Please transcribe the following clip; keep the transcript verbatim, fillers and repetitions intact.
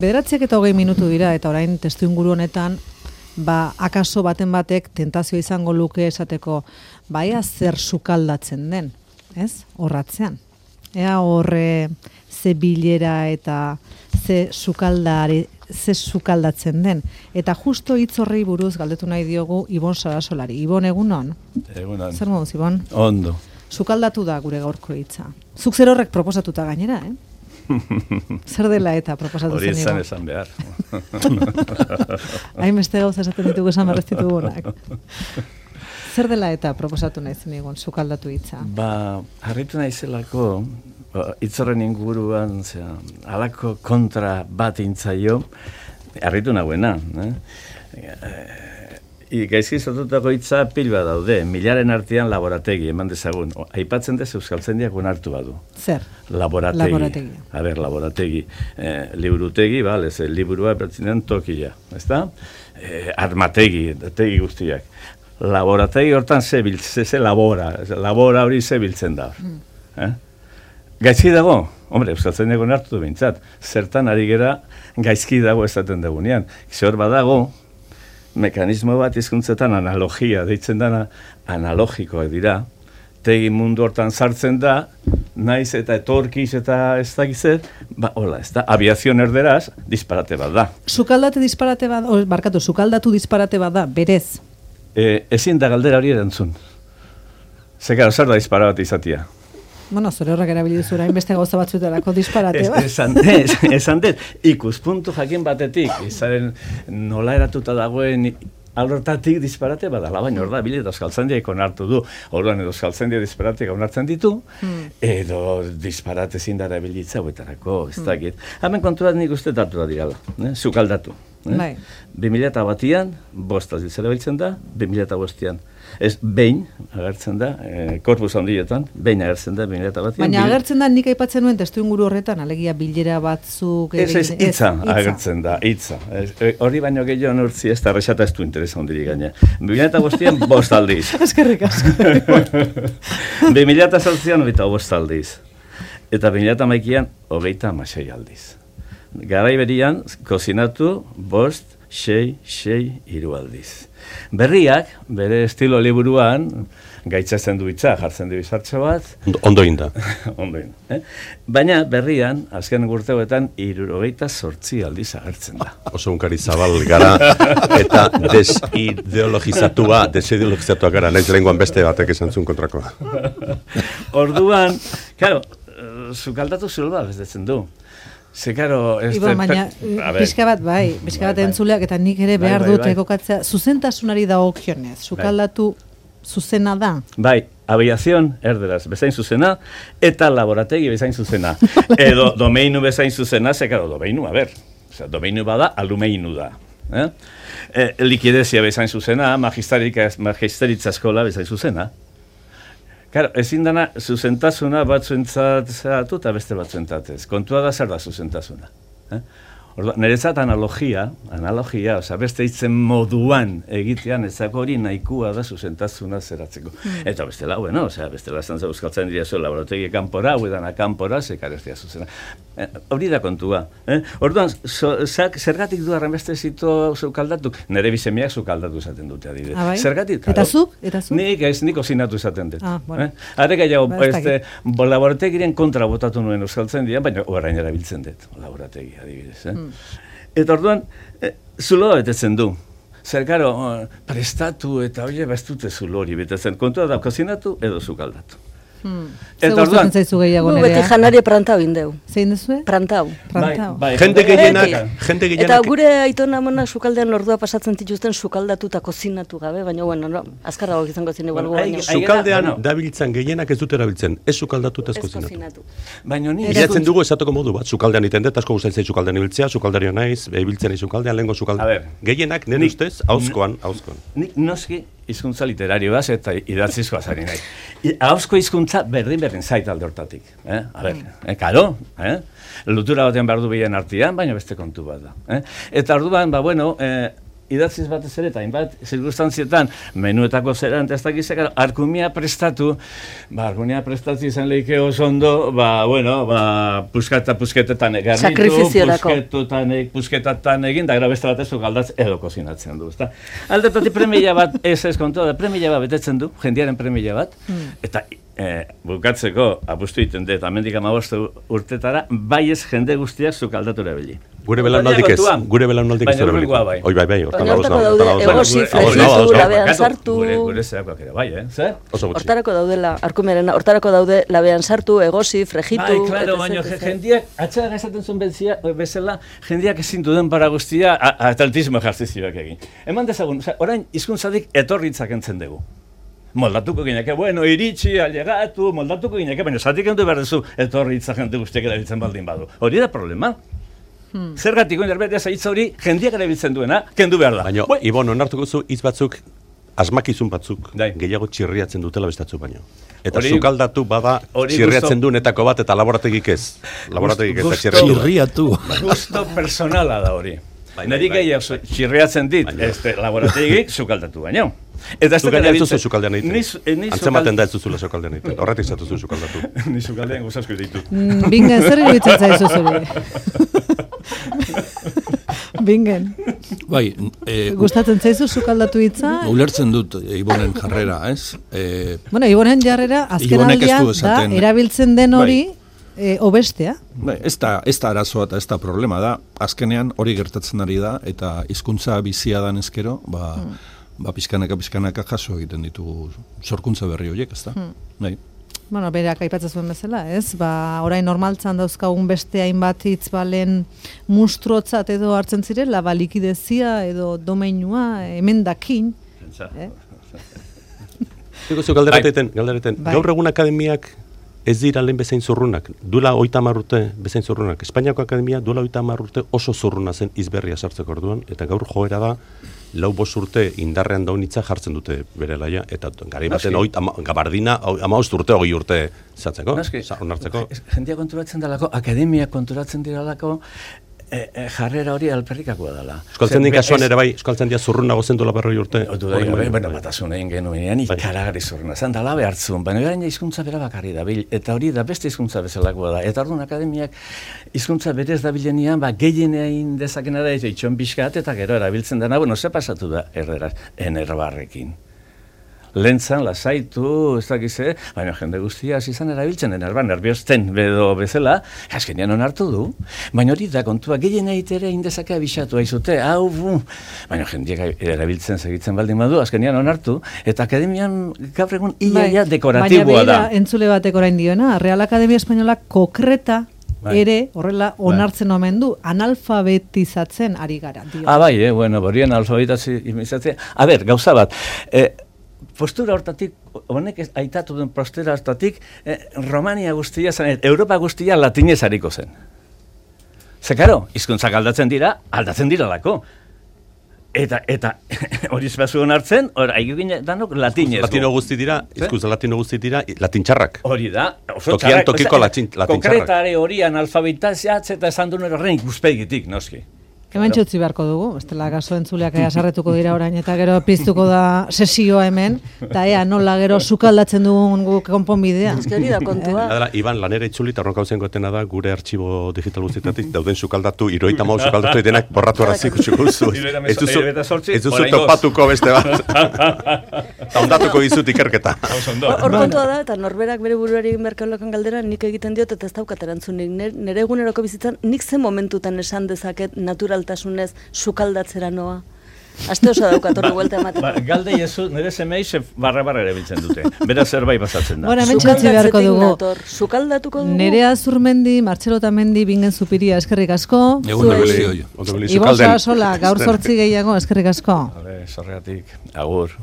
Bederatziak eta hogei minutu dira, eta orain testu inguru honetan, ba, akaso baten batek tentazio izango luke esateko, baia zer sukaldatzen den, ez? Horratzean. Ea horre ze bilera eta ze sukaldari, ze sukaldatzen den. Eta justo hitz horrei buruz galdetu nahi diogu Ibon Sarasolari. Ibon, egunon? Egunon. Zer moduz, Ibon? Ondo. Sukaldatu da gure gaurko hitza. Zuk zer horrek proposatuta gainera, eh? Zer dela eta proposatu zen, Hori Ibon? esan esan behar. Hain beste gauza esaten ditugu esan berreztitugunak. Zer dela eta proposatu nahi zen, Ibon, sukaldatu hitza? Ba, harritu naizelako, hitzorren inguruan, zera, alako kontra bat intzaio, harritu nagoena, eh? I, gaizki sortutako hitza pil bat daude, milaren artean laborategi, eman dezagun. O, aipatzen dez Euskaltzaindiak onartu badu. Zer? Laborategi. Laborategi. A ber, laborategi. Eh, liburutegi, bale, ze liburua bertzinen tokia, ezta? Eh, armategi, tegi guztiak. Laborategi hortan ze biltzen, ze labora, labora hori ze biltzen da. Mm. Eh? Gaizki dago, hombre, Euskaltzaindiak onartu du behintzat, zertan ari gera gaizki dago esaten dagunean. Zehor badago, mekanismo bat hizkuntzetan analogia, deitzen dana analogikoak dira, tegi mundu hortan sartzen da, naiz eta etorkiz eta ez dakizet, ba, hola, ez da, aviazion erderaz, disparate bat da. Sukaldate disparate bat, o, barkatu, sukaldatu disparate bat da, berez. E, ezin da galdera hori erantzun. Zekaro, zer da dispara bat izatia? Bueno, zure horrek erabili duzura, inbeste gauza batzuetarako disparate bat. Esan dez, esan dez, ikuspuntu jakin batetik, izaren nola eratuta dagoen alortatik disparate badala, baina hor da, bile Euskaltzaindiak onartu du, orduan edo Euskaltzaindia disparateak onartzen ditu, hmm. edo disparate zindara bilitza huetarako, ez dakit. Hmm. Hemen konturat nik uste datu da dirala, eh? Sukaldatu. Eh? Bai. bi mila batian, bost aldiz erabiltzen da, bi mila bostean. Ez, behin agertzen da, eh, korpus handietan, behin agertzen da, bi mila batian. Baina agertzen da, nik aipatzen nuen testu inguru horretan, alegia bilera batzuk... Ez, ez, hitza agertzen da, hitza. Hori baino gehiago nortzi ez da rexata ez du interesa hondirik gaina. bi mila bostean, bost aldiz. Eskerrik asko. bi mila zortzian, hogeita bost aldiz. Eta bi mila hamaikan, hogeita hamasei aldiz. Garai berian, kozinatu, bost, sei, sei, hiru aldiz. Berriak, bere estilo liburuan, gaitzatzen du hitza, jartzen du izartxo bat. Ondo inda. Ondo inda. Eh? Baina berrian, azken urteoetan, hirurogeita zortzi aldiz agertzen da. Oso unkari zabal gara, eta desideologizatua, desideologizatua gara, naiz lehenguan beste batek esan zuen kontrakoa. Orduan, claro, sukaldatu zulba bezetzen du. Ze, karo, ez... Ibon, baina, pixka bat, bai, pixka bat entzuleak, eta nik ere behar dut ekokatzea, zuzentasunari dagokionez, sukaldatu zuzena da? Bai, aviazion, erderaz, bezain zuzena, eta laborategi bezain zuzena. Edo domeinu bezain zuzena, ze, karo, domeinu, a ber, oza, domeinu bada, alumeinu da. Eh? E, likidezia bezain zuzena, magisteritza eskola bezain zuzena. Claro, ezin dana zuzentasuna batzuentzat zeratu eta beste batzuentzat ez. Kontua da zer da zuzentasuna. Eh? Orduan, niretzat analogia, analogia, oza, beste hitzen moduan egitean ezako hori nahikua da zuzentasuna zeratzeko. Mm. Eta bestela, bueno, oza, bestela esan zauzkaltzen dira zuen laborategi kanpora, huedana kanpora, zekar ez dira zuzena. Eh, hori da kontua. Eh? Orduan, so, zak, zergatik du arrenbeste zito zukaldatu? Nere bizemiak zukaldatu esaten dute adibidez. Ah, bai? Zergatik? Eta zuk? Eta zuk? Nik ez, nik ozinatu esaten dut. Ah, bueno. Eh? Are gehiago, ba, este, laborategiren kontra botatu nuen euskaltzen dira, baina orain erabiltzen dut, laborategi adibidez. Eh? Mm. Eta orduan, eh, zuloa betetzen du. Zer, karo, prestatu eta oie bestute zulo hori betetzen. Kontua da, kozinatu edo zukaldatu. Hmm. Eta orduan, zaizu gehiago nerea? Beti janaria prantau indeu. Zein duzue? Prantau. Prantau. Bai, bai, jende gehienak, jende gehienak. Eta gure aitona mona sukaldean ordua pasatzen dituzten sukaldatu eta kozinatu gabe, baina bueno, no, azkarrago izango zen igual bueno, baina. Sukaldean dabiltzan gehienak ez dute erabiltzen, ez sukaldatu eta ez kozinatu. Baina ni bilatzen dugu esateko modu bat, sukaldean iten dut, asko gustatzen sukaldean ibiltzea, sukaldario naiz, ibiltzen sukaldean lengo sukaldean. Gehienak nire ustez ahozkoan, ahozkoan. Nik noski hizkuntza literarioaz eta idatzizkoaz ari nahi. Ahozko hizkuntza berdin berdin zait alde hortatik. Eh? A ber, eh, karo, eh? Lutura batean behar du behien artean, baina beste kontu bat da. Eh? Eta orduan, ba, bueno, eh, idatziz batez ere, eta hainbat zirkustantzietan, menuetako zeran, eta ez dakizek, arkumia prestatu, ba, arkumia prestatu izan lehike oso ondo, ba, bueno, ba, pusketa, pusketetan egarritu, pusketetan, pusketatan egin, da gara beste bat ez galdatz edo kozinatzen du, ezta? Aldetatik premia bat, ez ez kontu, da premia bat betetzen du, jendiaren premia bat, mm. eta e, bukatzeko, apustu egiten dut, amendik amaboste urtetara, bai ez jende guztiak zukaldatu erabili. Gure belaunaldik ez, gure belaunaldik ez erabili. Oi, bai, bai, hortan dauz nago. Egosi, fregitu, labean sartu. Gure zerakoak ere, bai, eh? Zer? Hortarako daudela, arkumerena, hortarako daude labean sartu, egosi, fregitu. Bai, klaro, baina jendiak, atxadan esaten zuen bezala, jendiak ezin duden para guztia, atletismo ejertzizioak egin. Eman dezagun, orain, hizkuntzatik etorritzak entzen dugu. Moldatuko gineke, bueno, iritsi, alegatu, moldatuko gineke, baina zatik endu behar duzu etorritza jente guztiak erabiltzen baldin badu. Hori da problema. Hmm. Zergatik oin erberdea zaitza hori jendiak erabiltzen duena, kendu behar da. Baina, Ibon, onartuko zu, hitz batzuk, asmakizun batzuk, Dai. gehiago txirriatzen dutela bestatzu baino. Eta ori, zukaldatu bada txirriatzen gusto, duenetako bat eta laborategik ez. Laborategik ez da txirriatu. Gusto personala da hori. Neri gehiago txirriatzen dit, este laborategik zukaldatu baino. Eta ez da ez duzu sukaldean egiten. Antzematen da ez duzula sukaldean egiten. Horretik zatuzu sukaldatu. Ni sukaldean gozasko ditu. Bingen, zer iruditzen zaizu zuri? Bingen. Bai, eh, gustatzen zaizu sukaldatu hitza? Ulertzen dut Ibonen jarrera, ez? Eh, bueno, Ibonen jarrera azken aldian da erabiltzen den hori bai. e, obestea. Bai, ez da, ez da arazoa eta ez da problema da. Azkenean hori gertatzen ari da eta hizkuntza bizia dan ezkero, ba, hmm. ba pizkanaka pizkanaka jaso egiten ditugu sorkuntza berri horiek, ezta? Hmm. Bai. Bueno, berak aipatzen zuen bezala, ez? Ba, orain normaltzan dauzkagun beste hainbat hitz balen mustruotzat edo hartzen zirela, ba likidezia edo domeinua emendakin. Eh? Digo zu galdereten, galdereten. Gaur egun akademiak ez dira lehen bezain zurrunak. Duela hogeita hamar urte bezain zurrunak. Espainiako akademia duela hogeita hamar urte oso zurruna zen izberria sartzeko orduan, eta gaur joera da lau bost urte indarrean daunitza jartzen dute bere laia, eta gari baten oit, ama, gabardina amaost urte, hogei urte zatzeko, onartzeko. Jendia konturatzen dalako, akademia konturatzen diralako, e, e, jarrera hori alperrikakoa dela. Euskaltzen di kasuan ere bai, euskaltzen dia zurrunago zen dola berroi urte. Bueno, batasun egin genuenean, ikaragari zurruna zen, dala behartzun, baina gaina hizkuntza bera bakarri dabil, eta hori da beste hizkuntza bezalakoa da. Eta orduan akademiak hizkuntza berez dabilenean, ba, gehienein dezakena da, itxon pixkat, eta gero erabiltzen dena, bueno, ze pasatu da erderaz, enerbarrekin. Lentzan, lasaitu, ez dakize, baina jende guztia izan erabiltzen, enerban, nerviozten bedo bezala, azkenean onartu du, baina hori da kontua, gehien eitere indezakea bisatu haizute, hau, bu, baina jendeak erabiltzen segitzen baldin badu, azkenean onartu, eta akademian gaur egun iaia dekoratiboa da. Baina behira, entzule batek orain diona, Real Akademia Espainola kokreta, bai. Ere, horrela, onartzen bai. Omen du, analfabetizatzen ari gara. Dio. Ah, bai, eh, bueno, borien analfabetizatzen. A ber, gauza bat, eh, postura hortatik, honek aitatu den postura hortatik, eh, Romania guztia zen, Europa guztia latinez hariko zen. Ze, karo, hizkuntzak aldatzen dira, aldatzen dira lako. Eta, eta, hori zbazu honartzen, hor, aigugin danok latinez. Latino guzti dira, hizkuntza latino guzti dira, latintxarrak. Hori da, oso txarrak. Tokian tokiko latintxarrak. Konkretare horian alfabetazioatz eta esan duen horrein ikuspegitik, noski. Hemen txutzi beharko dugu, bestela gaso entzuleak ea sarretuko dira orain, eta gero piztuko da sesioa hemen, eta ea nola gero sukaldatzen dugun guk konponbidea. Ezkeri da kontua. Adela, Iban, lanera itzuli, eta horrenka hauzen gotena da, gure artxibo digital guztietatik, dauden sukaldatu, iroita mau sukaldatu denak borratu araziko txukuzu. Ez duzu topatuko beste bat. Eta ondatuko izut ikerketa. Hor kontua da, eta norberak bere buruari merkeolokan galdera, nik egiten diot, eta ez daukat erantzunik. Nere eguneroko bizitzan, nik zen momentutan esan dezaket natural tasunez sukaldatzera noa. Aste oso daukat horri buelta ematen. Ba, galde jesu, nire zemei ze barra-barra ere biltzen dute. Bera zerbait pasatzen da. Bora, mentxatzi beharko dugu. Sukaldatuko dugu. Nerea Zurmendi, Martxelo Tamendi, Bingen Zupiria, eskerrik asko. Egun da beli. Ibosa sola, gaur zortzi gehiago, eskerrik asko. Sorreatik, agur.